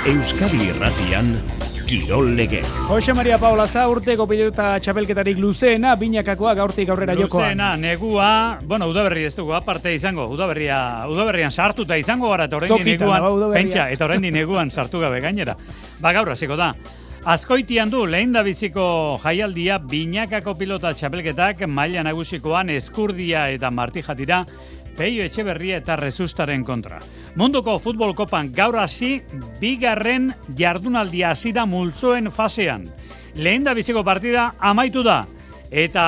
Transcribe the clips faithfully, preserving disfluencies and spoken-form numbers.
Euskadi Irratian Kirol Legez. Jose Maria Paula za urteko pilota txapelketarik luzeena, binakakoa gaurtik aurrera jokoan. Luzeena, negua, bueno, udaberri ez dugu, aparte izango, udaberria, udaberrian sartuta izango gara, eta horrendi neguan, pentsa, eta horrendi neguan sartu gabe gainera. Ba, gaur hasiko da. Azkoitian du lehen da biziko jaialdia binakako pilota txapelketak maila nagusikoan Eskurdia eta Martija dira Peio Etxeberria eta Rezustaren kontra. Munduko futbol kopan gaur hasi bigarren jardunaldia hasi da multzoen fasean. Lehen da biziko partida amaitu da eta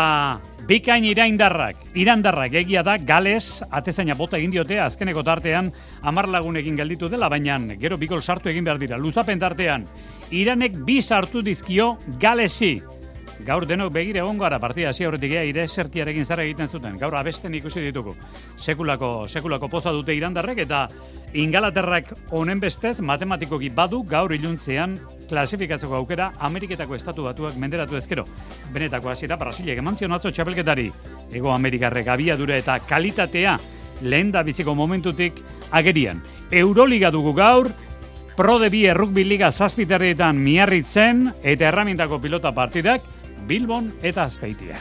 bikain iraindarrak, irandarrak egia da Gales atezaina bota egin diote azkeneko tartean hamar lagunekin gelditu dela, baina gero bikol sartu egin behar dira. Luzapen tartean Iranek bi sartu dizkio Galesi. Gaur denok begire egongo gara partida hasi aurretik ea ire eserkiarekin zara egiten zuten. Gaur abesten ikusi ditugu. Sekulako, sekulako poza dute irandarrek eta Ingalaterrak honen bestez matematikoki badu gaur iluntzean klasifikatzeko aukera Ameriketako estatu batuak menderatu ezkero. Benetako hasiera Brasilek eman zion atzo txapelketari. Ego Amerikarrek abiadura eta kalitatea lehen da biziko momentutik agerian. Euroliga dugu gaur, Pro de Bi Rugby Liga zazpiterrietan Miarritzen eta erramintako pilota partidak Bilbon eta Azpeitia.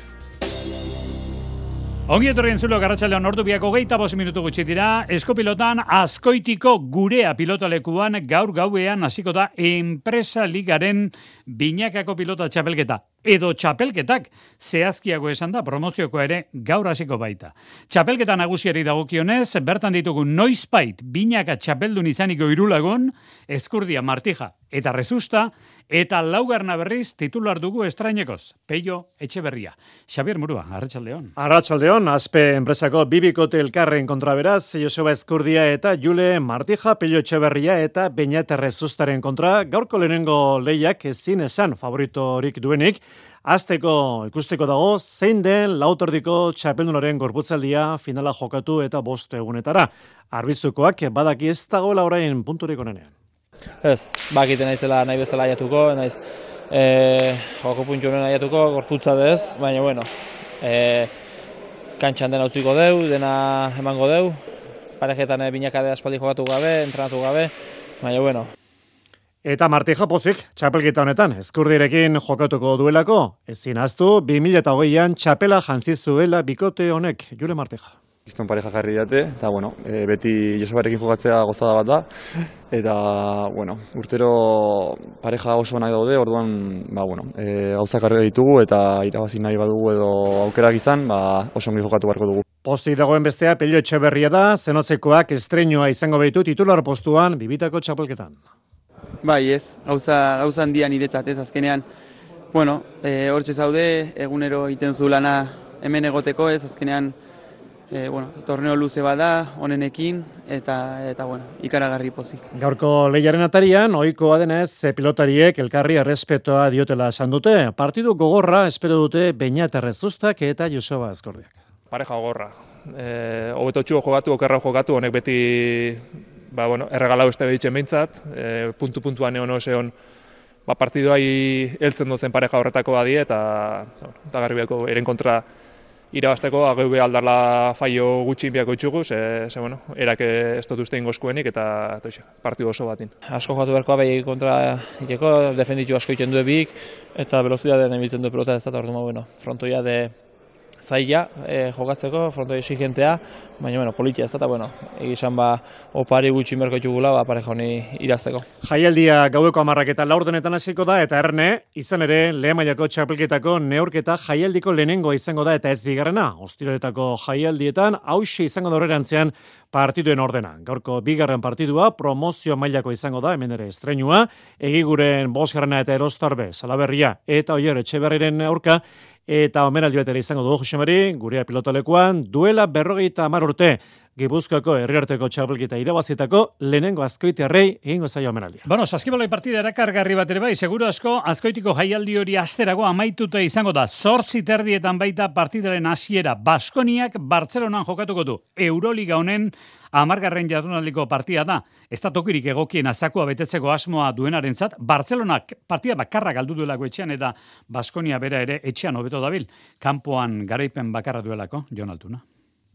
Ongi etorrien zulo garratxaldean ordu biako geita bost minutu gutxi dira, Eskopilotan Azkoitiko gurea pilotalekuan gaur gauean hasiko da enpresa ligaren binakako pilota txapelketa. Edo txapelketak zehazkiago esan da promozioko ere gaur hasiko baita. Txapelketa nagusiari dagokionez, bertan ditugu noizbait binaka txapeldun izaniko Irulagon, Eskurdia, Martija eta Rezusta, eta laugarna berriz titular dugu estrainekoz, Peio Etxeberria. Xabier Murua, arratsaldeon. Arratsaldeon, Aspe enpresako bibikote elkarren kontra beraz, Joseba Eskurdia eta Jule Martija, Peio Etxeberria eta Beñat Rezustaren kontra, gaurko lehenengo lehiak ezin esan favoritorik duenik, Azteko ikusteko dago zein den lautordiko txapeldunaren gorputzaldia finala jokatu eta bost egunetara. Arbizukoak badaki ez dagoela orain punturik onenean. Ez, bakiten naizela nahi bezala aiatuko, naiz e, joko puntu honen aiatuko, gorputza bez, baina bueno, e, kantxan dena utziko deu, dena emango deu, parejetan binakade aspaldi jokatu gabe, entrenatu gabe, baina bueno. Eta Martija pozik, txapelketa honetan, Eskurdirekin jokatuko duelako, ezin ahaztu, bi mila hogeian txapela jantzi zuela bikote honek, Jule Martija. Kiston pareja jarri date, eta bueno, e, beti Josebarekin jokatzea gozada bat da, eta bueno, urtero pareja oso onak daude, orduan ba, bueno, e, gauzak arrega ditugu, eta irabazi nahi badugu edo aukerak izan, ba, oso ongi jokatu beharko dugu. Posti dagoen bestea Peio Etxeberria da, zenotzekoak estreinoa izango behitu titular postuan bibitako txapelketan. Bai ez, gauza, gauza handia niretzat ez azkenean, bueno, e, hortxe zaude, egunero egiten zu lana hemen egoteko ez, azkenean, e, bueno, torneo luze bada, honenekin, eta, eta bueno, ikaragarri pozik. Gaurko lehiaren atarian, ohikoa denez, pilotariek elkarri errespetoa diotela esan dute, partidu gogorra espero dute Beñat Rezustak eta Joseba Eskurdiak. Pareja gogorra, e, hobetotxu jokatu, okerra jokatu, honek beti ba, bueno, erregalau este behitzen behintzat, e, puntu-puntuan egon oseon ba, partiduai heltzen dozen pareja horretako badie, eta eta garbiako eren kontra irabazteko, ageu be aldarla faio gutxi biako itxugu, ze, ze bueno, erak ez dut uste ingozkuenik, eta, eta partidu oso batin. Asko jokatu beharkoa behi kontra iteko, defenditu asko iten du ebik, eta velozidadean ebiltzen du pelota ez da, orduan, bueno, frontoia de zaila eh, jokatzeko, frontoi exigentea, baina bueno, politia ez da, eta bueno, egizan ba, opari gutxi merko txugula, ba, pareja honi irazteko. Jaialdia gaueko hamarrak eta laurdenetan hasiko da, eta erne, izan ere, lehen mailako txapelketako neurketa jaialdiko lehenengoa izango da, eta ez bigarrena, ostiroletako jaialdietan, hauxe izango da horrerantzean partiduen ordena. Gaurko bigarren partidua, promozio mailako izango da, hemen ere estreinua, egiguren bosgarrena eta erostarbe, Salaberria, eta Oier Etxeberriren aurka, eta omenaldi betera izango dugu Jose Mari, gurea pilotolekuan, duela berrogeita hamar urte, Gipuzkoako herriarteko txapelketa irabazitako lehenengo Azkoitiarrei egingo zaio omenaldia. Bueno, saskibaloi partida erakargarri bat ere bai, seguru asko Azkoitiko jaialdi hori asterago amaituta izango da. Zortzi terdietan baita partidaren hasiera. Baskoniak Bartzelonan jokatuko du. Euroliga honen hamargarren jardunaldiko partida da. Ez da tokirik egokien azakua betetzeko asmoa duenarentzat. Bartzelonak partida bakarra galdu duelako etxean eta Baskonia bera ere etxean hobeto dabil. Kanpoan garaipen bakarra duelako, Jon Altuna.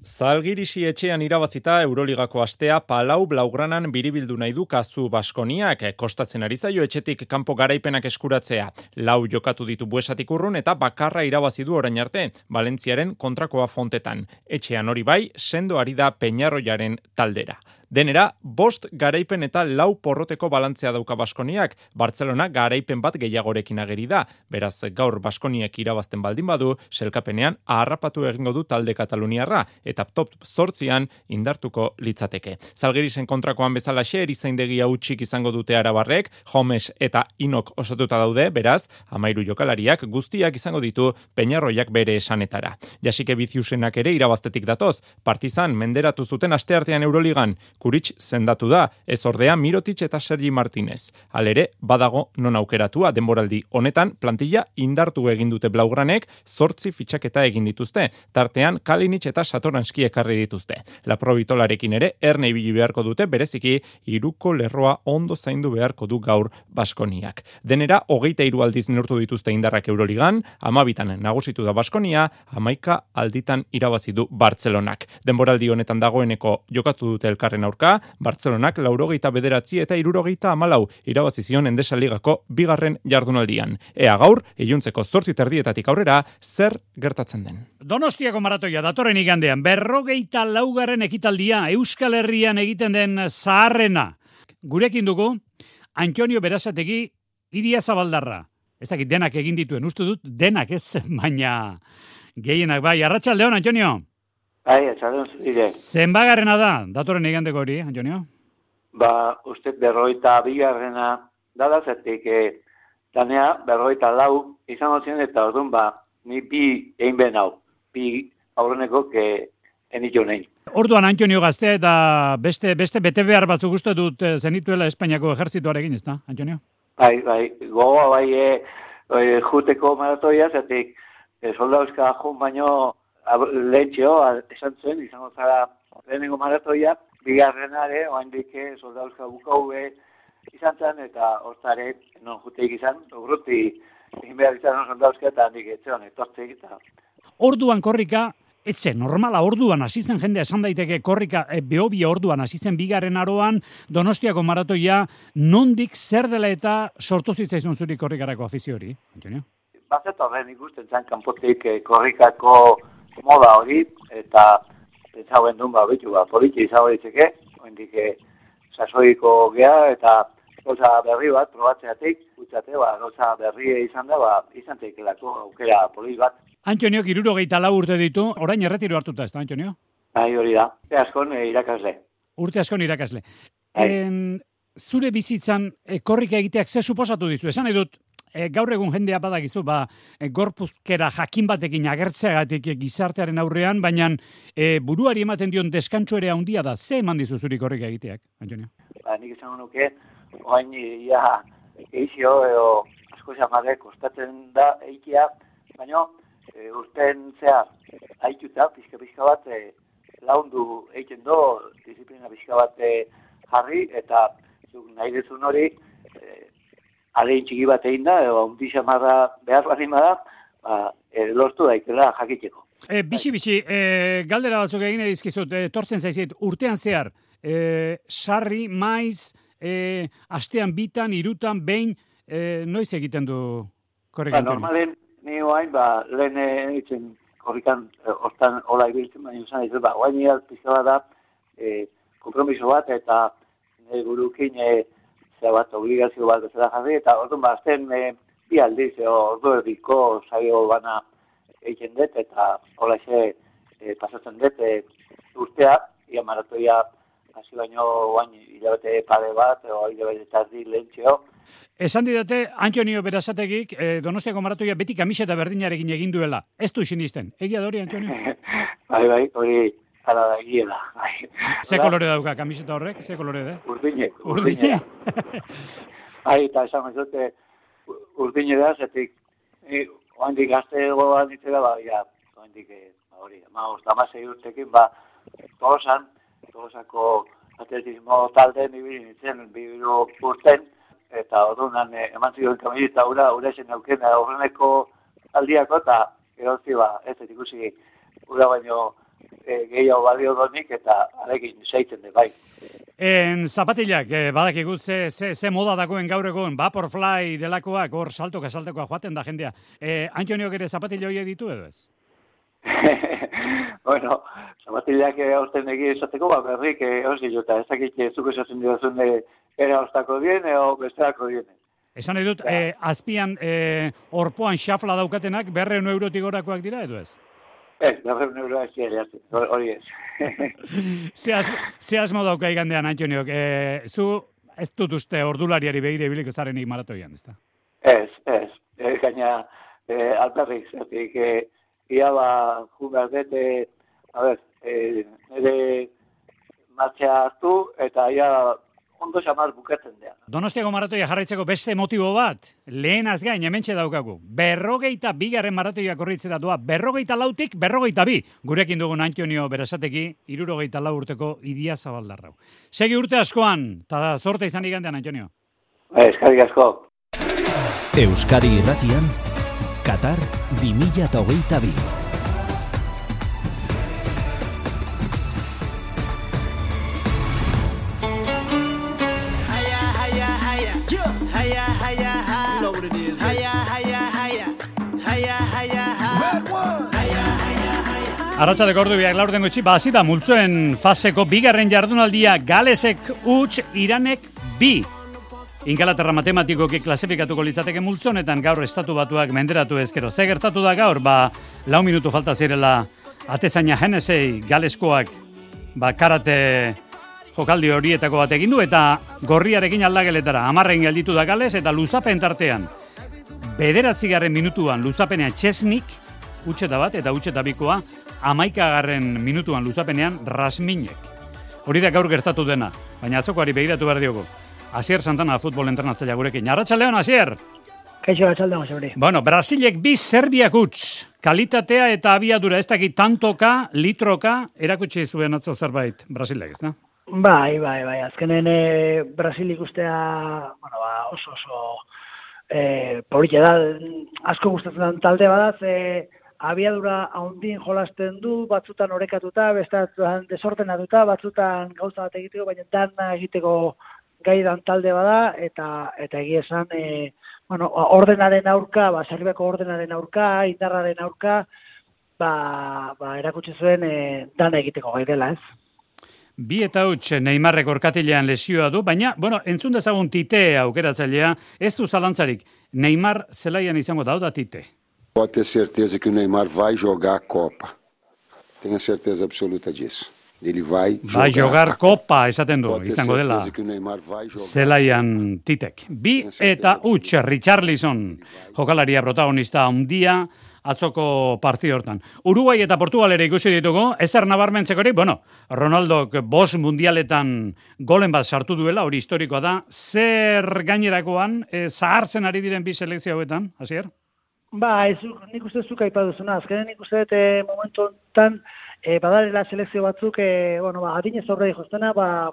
Zalgirisi etxean irabazita Euroligako astea Palau Blaugranan biribildu nahi du kasu Baskoniak, kostatzen ari zaio etxetik kanpo garaipenak eskuratzea. Lau jokatu ditu Buesatik urrun eta bakarra irabazi du orain arte, Valentziaren kontrakoa Fontetan. Etxean hori bai, sendo ari da Peñarroiaren taldera. Denera, bost garaipen eta lau porroteko balantzea dauka Baskoniak, Bartzelona garaipen bat gehiagorekin ageri da. Beraz, gaur Baskoniak irabazten baldin badu, selkapenean aharrapatu egingo du talde kataluniarra, eta top zortzian indartuko litzateke. Zalgirisen kontrakoan bezalaxe erizaindegia hutsik izango dute arabarrek, Homes eta Inok osatuta daude, beraz, hamairu jokalariak guztiak izango ditu Peñarroiak bere esanetara. Jasike Biziusenak ere irabaztetik datoz, Partizan menderatu zuten asteartean Euroligan, Kuritx zendatu da, ez ordea Mirotic eta Sergi Martinez. Halere, badago non aukeratua denboraldi honetan plantilla indartu egin dute Blaugranek, zortzi fitxaketa egin dituzte, tartean Kalinic eta Satoranski ekarri dituzte. Laprovitolarekin ere, erne ibili beharko dute, bereziki, hiruko lerroa ondo zaindu beharko du gaur Baskoniak. Denera, hogeita hiru aldiz neurtu dituzte indarrak Euroligan, hamabitan nagusitu da Baskonia, hamaika alditan irabazi du Bartzelonak. Denboraldi honetan dagoeneko jokatu dute elkarren aurka, Bartzelonak laurogeita bederatzi eta hirurogeita hamalau irabazi zion Endesa Ligako bigarren jardunaldian. Ea gaur, iluntzeko zortzi terdietatik aurrera, zer gertatzen den. Donostiako maratoia datorren igandean, berrogeita laugarren ekitaldia Euskal Herrian egiten den zaharrena. Gurekin dugu, Antonio Berazategi, Iria Zabaldarra. Ez dakit denak egin dituen, uste dut denak ez, baina gehienak bai. Arratsaldeon, Antonio. Bai, arratsaldeon zure. Zenbagarrena da, datorren igandeko hori, Antonio? Ba, uste berrogeita bigarrena dada zertik, eh, danea berrogeita lau izango ziren eta orduan ba, ni bi egin ben hau, bi aurreneko ke enitu nahi. Orduan Antonio gaztea eta beste beste bete behar batzuk uste dut zenituela Espainiako ejertzituarekin, ez da, Antonio? Bai, bai, gogoa bai e, e, juteko maratoia, zertik e, soldauzka jun baino lehentxeo, esan zuen, izango zara lehenengo maratoia, bigarrenare, oaindik soldauzka bukau izan zen, eta hortzare non juteik izan, urruti egin behar izan soldauzka, eta handik etxean, etortzeik eta... Orduan korrika, etxe, normala orduan hasi zen jendea esan daiteke korrika, e, behobia orduan hasi zen bigarren aroan, Donostiako maratoia, nondik zer dela eta sortu zitzaizun zuri korrikarako afizio hori, Antonio? Bazet horren ikusten zen kanpotik eh, korrikako moda hori, eta pentsauen duen ba, bitu, ba, politxe izango ditzeke, oendik eh, sasoiko gea, eta gauza berri bat, probatzeatik, utzate, ba, gauza berri izan da, ba, izan tekelako aukera polit bat. Antonio, hirurogeita lau urte ditu, orain erretiro hartuta, ez da, Antonio? Bai, hori da. Urte askon e, irakasle. Urte askon irakasle. En, zure bizitzan e, korrika egiteak ze suposatu dizu? Esan edut, e, gaur egun jendea badakizu, ba, e, gorpuzkera jakin batekin agertzeagatik e, gizartearen aurrean, baina e, buruari ematen dion deskantxo ere handia da. Ze eman dizu zuri korrika egiteak, Antonio? Ba, nik esan nuke, oain ia eixio, edo asko zamare kostatzen da eikia, baina E, urten zea haituta, pixka-pixka bat e, laundu egiten do, disiplina pixka bat e, jarri, eta zuk nahi dezun hori e, alegin txiki bat egin da, edo undi xamarra behar barima da, ba, e, lortu daitela jakiteko. E, Bixi-bixi, e, galdera batzuk egin edizkizut, e, tortzen zaizit, urtean zehar, e, sarri, maiz, e, astean bitan, irutan, behin, e, noiz egiten du korrikan? Ba, normalen, ni oain, ba, lehen egiten korrikan e, hortan hola ibiltzen, baina usan ez, ba, oain egal pizka bat da, e, kompromiso bat, eta e, burukin e, zera bat obligazio bat bezala jarri, eta orduan ba, azten e, bi aldiz, e, ordu erdiko saio bana egiten dut, eta hola xe e, pasatzen dut, e, urtea, ia maratoia hasi baino oain hilabete pare bat, o hilabete tardi lehentxeo. Esan didate, Antonio Berasategik, eh, Donostiako maratoia beti kamiseta berdinarekin egin duela. Ez du sinisten. Egia da hori, Antonio? bai, bai, hori ala da egiela. Bai. Ze kolore dauka kamiseta horrek? Ze kolore da? Urdine. Urdine? Bai, eta esan dute urdine da, zetik, oandik gaztego ditzera, ba, ja, oandik, hori, ma, ostamazei urtekin, ba, tolosan, tolosako atletismo talde, nibili nintzen, bibiru urten, eta orduan eh, eman ziren kamilita ura, ura esen auken horreneko aldiako, eta erozi ba, ez ikusi ura baino e, gehiago balio donik eta arekin zaiten de, bai. En zapatilak, eh, badakigu ze, ze, ze moda dagoen gaur egun, Vaporfly delakoak, hor saltoka saltoka joaten da jendea. Eh, Antoniok ere zapatila horiek ditu edo ez? Bueno, zapatilak hausten egi esateko, ba, berrik hausi jota, ez dakit zuk esatzen dira era ostako dien, eo bestelako dien. Esan nahi dut, eh, azpian eh, orpoan xafla daukatenak berreun eurotik gorakoak dira edo ez? Ez, berreun euroa ez dira, hori ez. Ze, asmo, ze asmo dauka igandean, Antoniok, eh, zu ez dut uste ordulariari begire biliko zarenik maratoian, ez da? Ez, ez, e, gaina e, alperrik, zertik, e, ia ba, jun dete, a ber, e, nire martxea hartu, eta ia ondo xamar bukatzen dea. Donostiako maratoia jarraitzeko beste motibo bat, lehenaz gain hementxe daukagu. Berrogeita bigarren maratoia korritzera doa, berrogeita lautik, berrogeita bi. Gurekin dugun Antonio Berasateki, irurogeita lau urteko Idia Zabaldarrau. Segi urte askoan, eta zorte izan igandean, Antonio. Eskerrik asko. Euskadi Irratian, Qatar bi mila hogeita bi. Arratsaldeko ordu biak laurden gutxi, ba, hasi da multzoen faseko bigarren jardunaldia Galesek huts, Iranek bi. Ingalaterra matematikoki klasifikatuko litzateke multzonetan gaur estatu batuak menderatu ezkero. Ze gertatu da gaur, ba, lau minutu falta zirela atezaina Hennessy Galeskoak ba, karate jokaldi horietako bat egin du eta gorriarekin aldageletara. Hamarren gelditu da Gales eta luzapen tartean. Bederatzigarren minutuan luzapenean Chesnik, utxeta bat eta utxeta bikoa, hamaikagarren minutuan luzapenean Rasminek. Hori da gaur gertatu dena, baina atzokoari begiratu behar diogu. Asier Santana futbol entrenatzailea gurekin. Arratsaldeon, Asier! Kaixo, arratsaldeon, Xabri. Bueno, Brasilek bi Serbiak huts. Kalitatea eta abiadura ez dakit tantoka, litroka, erakutsi zuen atzo zerbait Brasilek, ez da? Bai, bai, bai. Azkenen e, Brasil ikustea, bueno, ba, oso oso e, polita da, asko gustatzen den talde badaz, e, abiadura haundin jolasten du, batzutan orekatuta, bestetan desordenatuta, batzutan gauza bat egiteko, baina dana egiteko gaidan talde bada, eta eta egia esan, e, bueno, ordenaren aurka, ba, Serbiako ordenaren aurka, indarraren aurka, ba, ba erakutsi zuen e, dana egiteko gai dela, ez? Bi eta huts Neymarrek orkatilean lesioa du, baina, bueno, entzun dezagun Tite aukeratzailea, ez du zalantzarik, Neymar zelaian izango da, da Tite. Pode ter certeza que o Neymar vai jogar a Copa. Tenho certeza absoluta disso. Ele vai jogar, vai jogar Copa, esaten du, izango dela zelaian Titek. Bi eta huts Richarlison, jokalaria protagonista handia, atzoko partida hortan. Uruguai eta Portugal ere ikusi ditugu, ezer nabarmentzekorik, bueno, Ronaldok bost mundialetan golen bat sartu duela, hori historikoa da, zer gainerakoan, e, zahartzen ari diren bi selekzio hauetan, Asier? Ba, ez, nik uste zuk aipa duzuna, azkenen nik uste dut e, momentu honetan, e, badarela selekzio batzuk, e, bueno, ba, adinez aurre jostena, ba,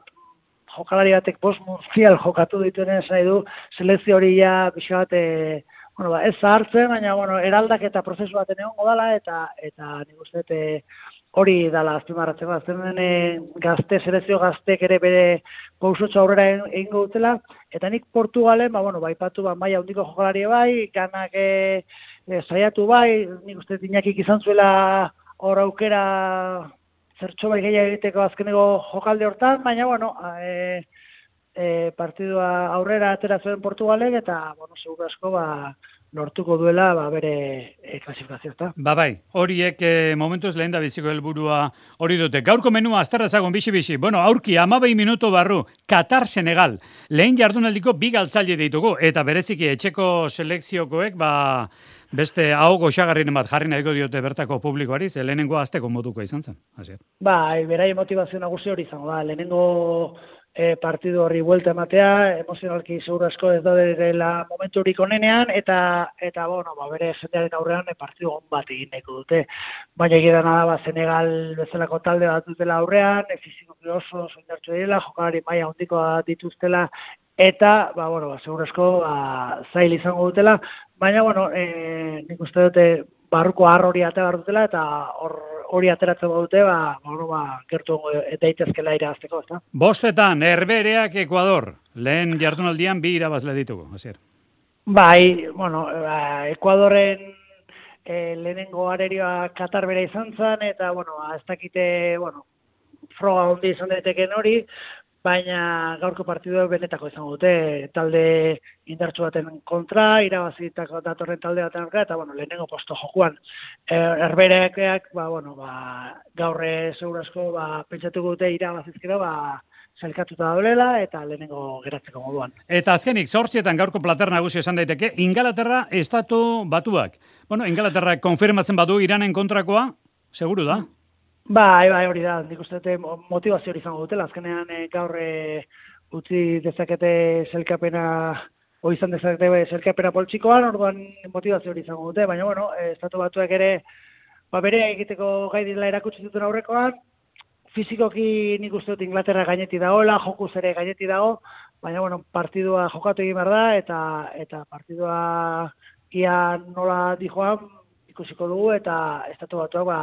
jokalari batek bost mundial jokatu dituenen esan nahi du, selekzio hori ja, bixa bat, e, bueno, ba, ez zahartzen, baina, bueno, eraldak eta prozesu baten egongo dala, eta, eta nik uste dut, e, hori dala azpimarratzeko, azten e, gazte, selekzio gaztek ere bere pausotxo aurrera egingo dutela, eta nik Portugalen, ba, bueno, baipatu, ba, maila handiko jokalari bai, ganak e, e, saiatu bai, nik uste Iñakik izan zuela hor aukera zertxo bai gehiago egiteko azkeneko jokalde hortan, baina, bueno, e, e, partidua aurrera atera zuen Portugalek, eta, bueno, seguru asko, ba, lortuko duela ba, bere e, klasifikazioa, ezta? Ba bai, horiek e, momentuz lehen da biziko helburua hori dute. Gaurko menua azterrazagon bixi-bixi. Bueno, aurki amabei minutu barru, Qatar Senegal. Lehen jardunaldiko bi galtzaile ditugu, eta bereziki etxeko selekziokoek, ba, beste hau goxagarrinen bat jarri nahiko diote bertako publikoari, ze lehenengo azteko moduko izan zen. Asier. Ba, berai motivazio nagusi hori izango da. Lehenengo E, partidu horri buelta ematea, emozionalki seguru asko ez daudela momentu horik onenean, eta, eta bueno, ba, bere jendearen aurrean e, partidu on bat egin nahiko dute. Baina egidana da, ba, Senegal bezalako talde bat dutela aurrean, e, fizikoki oso soindartsu direla, jokalari maila handikoa dituztela, eta, ba, bueno, ba, seguru asko ba, zail izango dutela, baina, bueno, e, nik uste dute barruko har hori ate behar dutela, eta hor hori ateratzen badute, ba, bueno, ba, gertu daitezkela irabazteko, ezta? Bostetan, Herbereak Ekuador. Lehen jardunaldian bi irabazle ditugu, hasier. Bai, bueno, ba, Ekuadorren e, lehenengo arerioa Katar bera izan zen, eta, bueno, ez dakite, bueno, froga hondi izan daiteken hori, baina gaurko partidu benetako izango dute, talde indartsu baten kontra, irabazitako datorren talde baten aurka, eta, bueno, lehenengo posto jokuan. Herbereak, ba, bueno, ba, gaurre segurazko, ba, pentsatuko dute irabazizkero, ba, zelkatuta daulela eta lehenengo geratzeko moduan. Eta azkenik, zortzietan gaurko plater nagusi esan daiteke, Ingalaterra estatu batuak. Bueno, Ingalaterra konfirmatzen badu Iranen kontrakoa, seguru da? Bai, bai, hori da, nik uste dute motivazio hori izango dutela, azkenean e, gaur e, utzi dezakete zelkapena, o izan dezakete zelkapena poltsikoan, orduan motivazio hori izango dute, baina, bueno, e, estatu batuak ere, ba, bere egiteko gai direla erakutsi duten aurrekoan, fizikoki nik uste dut Inglaterra gaineti dagoela, jokuz ere gaineti dago, baina, bueno, partidua jokatu egin behar da, eta, eta partidua ia nola dijoan ikusiko dugu, eta estatu batuak, ba,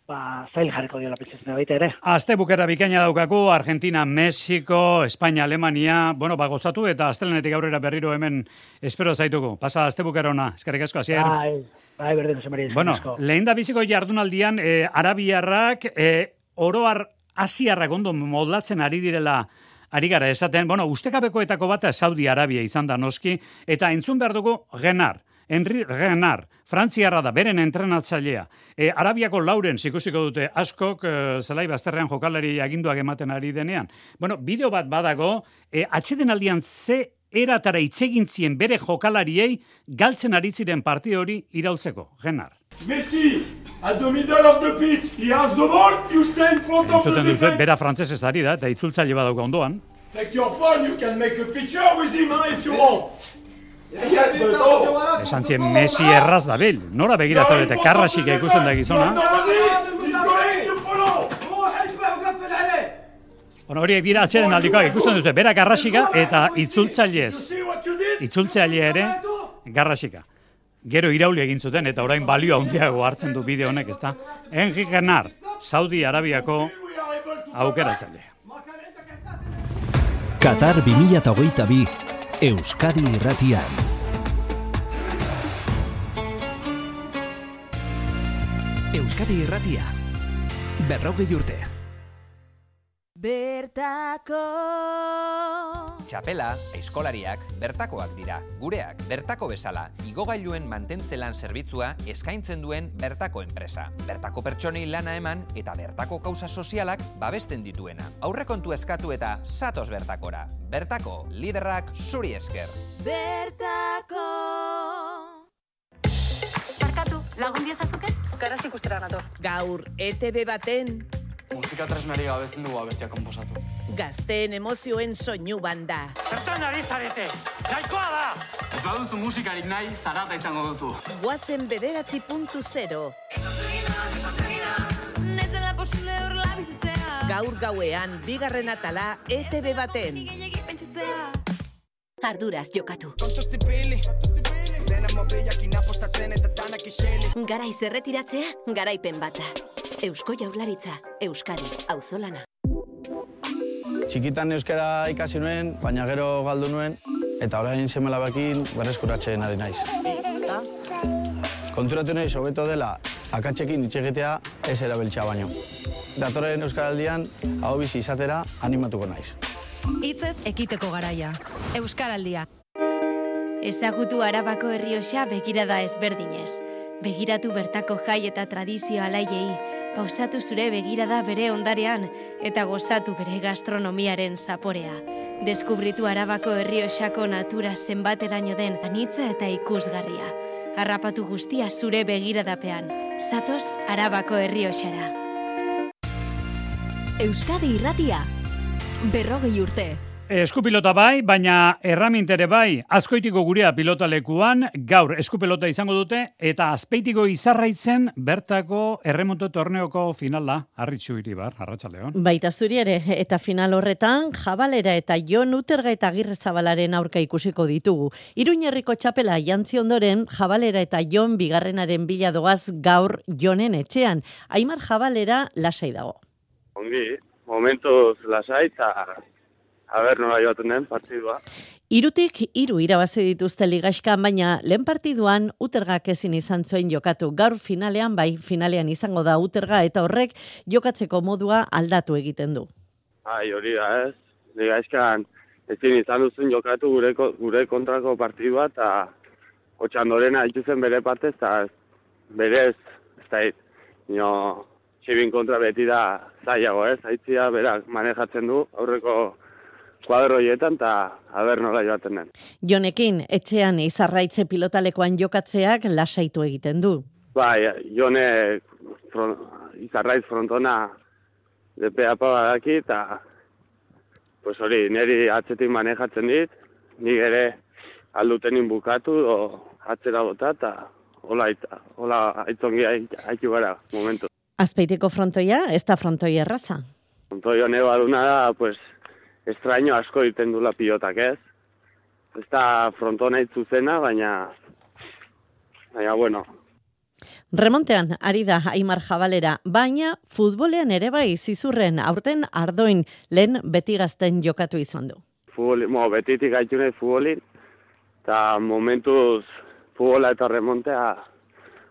ba, zail jarriko diola pentsatzen baita ere. Aste bukera bikaina daukaku, Argentina, Mexiko, Espainia, Alemania, bueno, ba, gozatu, eta astelenetik aurrera berriro hemen espero zaituko. Pasa aste bukera ona, eskerrik asko, hasier. Bai, bai, berdin, Jose Maria, bueno, lehen da biziko jardunaldian, eh, arabiarrak, eh, oroar asiarrak ondo modlatzen ari direla ari gara esaten, bueno, ustekabekoetako bat Saudi Arabia izan da noski, eta entzun behar dugu Genar, Henri Genar, Frantziarra da, beren entrenatzailea. E, Arabiako lauren ikusiko dute askok, e, zelai bazterrean jokalari aginduak ematen ari denean. Bueno, bideo bat badago, e, atxeden aldian ze eratara itzegintzien bere jokalariei galtzen ari ziren partio hori iraultzeko. Genar. Messi, at the middle of the pitch, he has the ball, you stay in front of the defense. Bera frantzesez ari da, eta itzultzaile badauka ondoan. Take your phone, you can make a picture with him if you want. Yes, but oh. Esan zien Messi erraz da bil. Nora begira zaudete, Karrasik ikusten da gizona. Bueno, horiek dira atxeden aldikoak ikusten duzu, bera Karrasika eta itzultzailez. Itzultzaile ere, Karrasika. Gero irauli egin zuten eta orain balio handiago hartzen du bideo honek, ezta? Henri Genar, Saudi Arabiako aukeratzailea. Qatar bi mila hogeita bi, Euskadi Irratian. Euskadi Irratia, berrogei urte. Bertako Txapela, aizkolariak, bertakoak dira. Gureak, bertako bezala, igogailuen mantentzelan zerbitzua eskaintzen duen bertako enpresa. Bertako pertsonei lana eman eta bertako kausa sozialak babesten dituena. Aurrekontu eskatu eta zatoz bertakora. Bertako, liderrak zuri esker. Bertako Barkatu, lagun diozazuken? Garaz ikustera nator. Gaur, E T B baten musika tresnari gabezen dugu abestia komposatu. Gazteen emozioen soinu banda. Zertan ari zarete? Nahikoa da! Ez baduzu musikarik nahi, zarata izango duzu. Guazen bederatzi puntu zero. Gaur gauean, bigarren atala E T B baten. Arduraz jokatu. Garaiz erretiratzea, garaipen bata. Eusko Jaurlaritza, Euskadi, auzolana. Txikitan euskara ikasi nuen, baina gero galdu nuen, eta orain seme-alabekin berreskuratzen ari naiz. Konturatu naiz hobeto dela akatsekin hitz egitea ez erabiltzea baino. Datorren euskaraldian hau bizi izatera animatuko naiz. Hitzez ekiteko garaia. Euskaraldia. Ezagutu Arabako Errioxa begirada ezberdinez. Begiratu bertako jai eta tradizio alaiei, pausatu zure begirada bere ondarean eta gozatu bere gastronomiaren zaporea. Deskubritu Arabako Errioxako natura zenbateraino den anitza eta ikusgarria. Harrapatu guztia zure begiradapean. Zatoz Arabako Errioxara. Euskadi Irratia, berrogei urte. Eskupilota bai, baina erramintere bai, Azkoitiko gurea pilotalekuan, gaur eskupilota izango dute, eta Azpeitiko Izarraitzen bertako erremonto torneoko finala, Arritxu Iribar, Arratsaldeon. Baita zuri ere, eta final horretan, Jabalera eta Jon Uterga eta Agirrezabalaren aurka ikusiko ditugu. Iruñerriko txapela jantzi ondoren, Jabalera eta Jon bigarrenaren bila doaz gaur Jonen etxean. Aimar Jabalera lasai dago. Ongi, momentuz lasai eta a ber, nola joaten den partidua. Irutik iru irabazi dituzte ligaxkan, baina lehen partiduan Utergak ezin izan zuen jokatu. Gaur finalean, bai, finalean izango da Uterga eta horrek jokatzeko modua aldatu egiten du. Bai, hori da ez. Ligaxkan ezin izan duzen jokatu gure, gure kontrako partidua eta Otxandorena ituzen bere partez eta berez, ez da hit, nio txibin kontra beti da zailago ez, haitzia berak manejatzen du aurreko kuadro hietan, eta haber nola joaten den. Jonekin, etxean Izarraitze pilotalekoan jokatzeak lasaitu egiten du. Bai, Jone front, Izarraitz frontona depea badaki, eta pues hori, niri atzetik manejatzen dit, nik ere aldutenin bukatu, o atzera bota, eta hola, hola aitzongi haitu gara, momentu. Azpeitiko frontoia, ez da frontoia erraza? Frontoia hone baduna da, pues, estraño asko iten dula pilotak ez. Ez da frontona itzuzena, baina, baina, bueno. Remontean, ari da Aimar Jabalera, baina futbolean ere bai zizurren aurten Ardoin lehen beti gazten jokatu izan du. Futboli, mo, betitik gaitu nahi futbolin, eta momentuz futbola eta remontea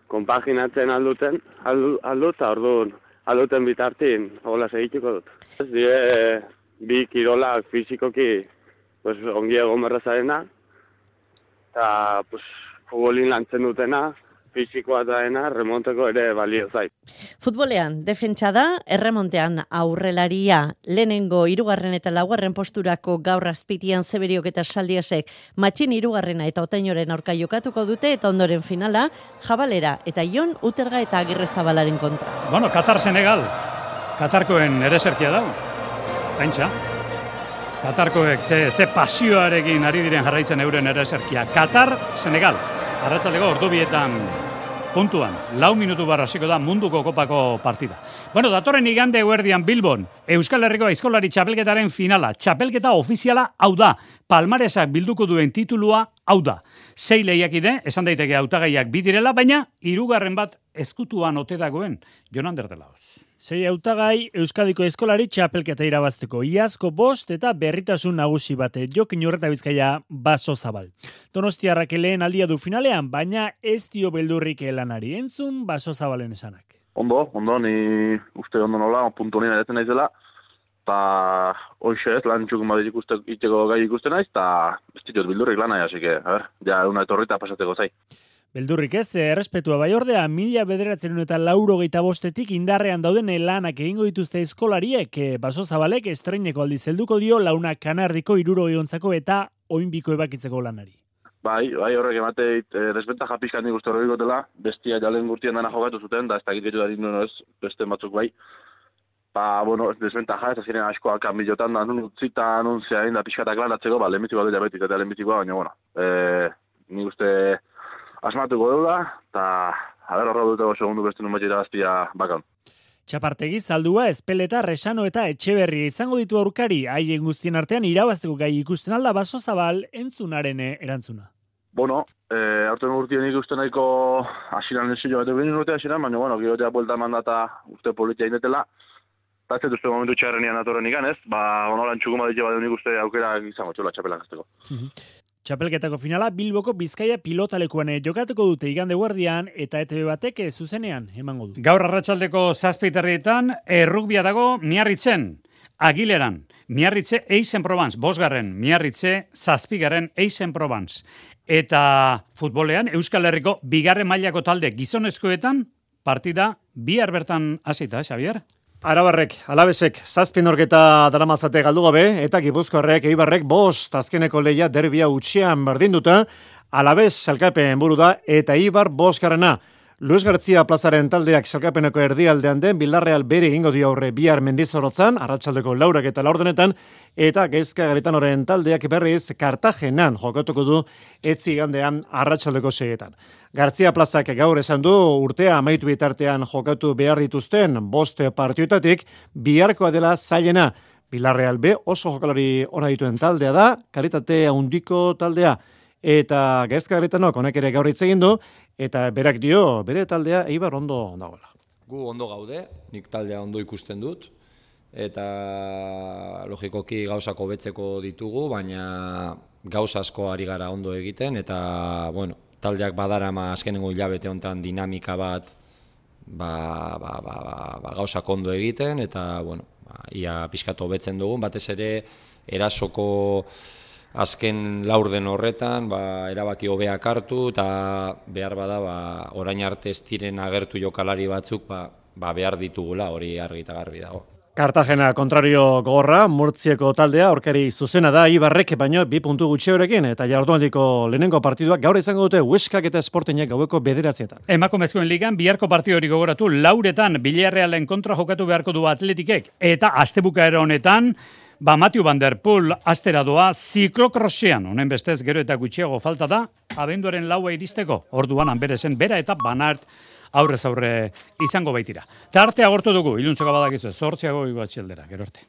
konpaginatzen alduten, aldu, aldu, eta orduan, alduten bitartin, hola segituko dut. Ez dire, bi kirolak fizikoki pues, ongi egon berrazarena, eta pues, futbolin lantzen dutena, fizikoa daena, remonteko ere balio zait. Futbolean, defentsa da, erremontean aurrelaria, lehenengo hirugarren eta laugarren posturako gaur Azpitian Zeberiok eta Saldiasek matxin hirugarrena eta Otainoren aurka jokatuko dute, eta ondoren finala, Jabalera eta Jon Uterga eta Agirrezabalaren kontra. Bueno, Katar-Senegal, Katarkoen ereserkia dago. Pentsa, Katarkoek ze, ze pasioarekin ari diren jarraitzen euren ere eserkia. Katar, Senegal, arratsaldeko ordubietan puntuan, lau minutu barra hasiko da munduko kopako partida. Bueno, datorren igande eguerdian Bilbon, Euskal Herriko aizkolari txapelketaren finala. Txapelketa ofiziala hau da, palmaresak bilduko duen titulua hau da. Sei lehiakide, esan daiteke hautagaiak bidirela, baina hirugarren bat ezkutuan ote dagoen, Jon Ander de Laoz. Sei hautagai Euskadiko eskolari txapelketa irabazteko. Iazko bost eta berritasun nagusi bate. Jokin Urreta Bizkaia Baso Zabal. Donostiarrak lehen aldia du finalean, baina ez dio beldurrik lanari. Entzun Baso Zabalen esanak. Ondo, ondo, ni uste ondo nola, puntu nina detzen naizela. Eta hoxe ez, lan txukun bat iteko gai ikusten naiz, eta ez ditut beldurrik lanai, hasi que, a ver, ja, una etorrita pasateko zai. Beldurrik ez, errespetua bai ordea, mila bederatzen eta laurogeita bostetik indarrean dauden lanak egingo dituzte eskolariek, Baso Zabalek estreineko aldiz helduko dio launa kanardiko hirurogei ontzako eta oinbiko ebakitzeko lanari. Bai, bai horrek emateit, eh, desbentaja pixkan nik uste horrek gotela, bestia jalen gurtien dana jokatu zuten, da ez da gitu da dindu ez, beste batzuk bai. Ba, bueno, desbentaja, ez aziren askoak kanbilotan, da nun utzita, nun zeain da pixkatak lanatzeko, ba, lehenbitikoa dut jabetik, eta lehenbitikoa, baina, bueno, eh, nik uste asmatuko dela, eta haber horra dutego segundu beste nun batxeta gaztia bakan. Txapartegi zaldua, Espeleta, Resano eta Etxeberri izango ditu aurkari, haien guztien artean irabazteko gai ikusten alda Baso Zabal entzunaren erantzuna. Bueno, eh, aurten urtien ikusten nahiko asiran esillo bat egin urte asiran, baina, bueno, girotea buelta mandata uste politia indetela, eta ez dut momentu txarrenian datorren ikan, ez? Ba, onoran txukuma ditu bat egin uste aukera izango txula txapelan gazteko. Txapelketako finala Bilboko Bizkaia pilotalekuan jokatuko dute igande guardian eta E T B batek zuzenean emango du. Gaur arratsaldeko zazpiterrietan errugbia dago Miarritzen, Agileran, Miarritze Eixen-Provence, bosgarren, Miarritze zazpigarren Eixen-Provence. Eta futbolean Euskal Herriko bigarren mailako talde gizonezkoetan partida bihar bertan hasita, Xavier? Arabarrek, Alabesek, zazpin orketa daramazate galdu gabe, eta Gipuzkoarrek, Eibarrek, bost azkeneko leia derbia utxean berdinduta, Alabes salkapen buru da, eta Eibar boskarrena. Luis Gartzia plazaren taldeak salkapeneko erdialdean den Villarreal bere egingo dio aurre bihar Mendizorrotzan, arratsaldeko laurak eta laurdenetan, eta Gaizka Garitanoren taldeak berriz Kartagenan jokatuko du etzi gandean arratsaldeko seietan. Gartzia plazak gaur esan du urtea amaitu bitartean jokatu behar dituzten bost partioetatik biharkoa dela zailena. Villarreal B oso jokalari ona dituen taldea da, kalitate handiko taldea. Eta Gaizka Garitanok honek ere gaur hitz egin du, eta berak dio, bere taldea Eibar ondo dagoela. Gu ondo gaude, nik taldea ondo ikusten dut, eta logikoki gauzak hobetzeko ditugu, baina gauza asko ari gara ondo egiten, eta bueno, taldeak badarama azkenengo hilabete honetan dinamika bat ba, ba, ba, ba, ba, gauzak ondo egiten, eta bueno, ba, ia pixkatu hobetzen dugun, batez ere erasoko azken laurden horretan, ba, erabaki hobeak hartu, eta behar bada, ba, orain arte ez diren agertu jokalari batzuk, ba, ba behar ditugula, hori argi eta garbi dago. Kartagena kontrario gogorra, Murtzieko taldea, aurkari zuzena da, Ibarrek baino bi puntu gutxeorekin, eta jardunaldiko lehenengo partiduak gaur izango dute Hueskak eta Sportingek gaueko bederatzietan. Emakumezkoen ligan, biharko partidu hori gogoratu, lauretan Villarrealen kontra jokatu beharko du Atletikek, eta astebukaera honetan, Ba, Matthew Van Der Poel astera doa ziklokrossean, honen bestez gero eta gutxiago falta da, abenduaren laua iristeko, orduan hanberezen bera eta Banart aurrez aurre izango baitira. Tartea agortu dugu, iluntzoko badakizu, zortziago igo atxeldera, gero arte.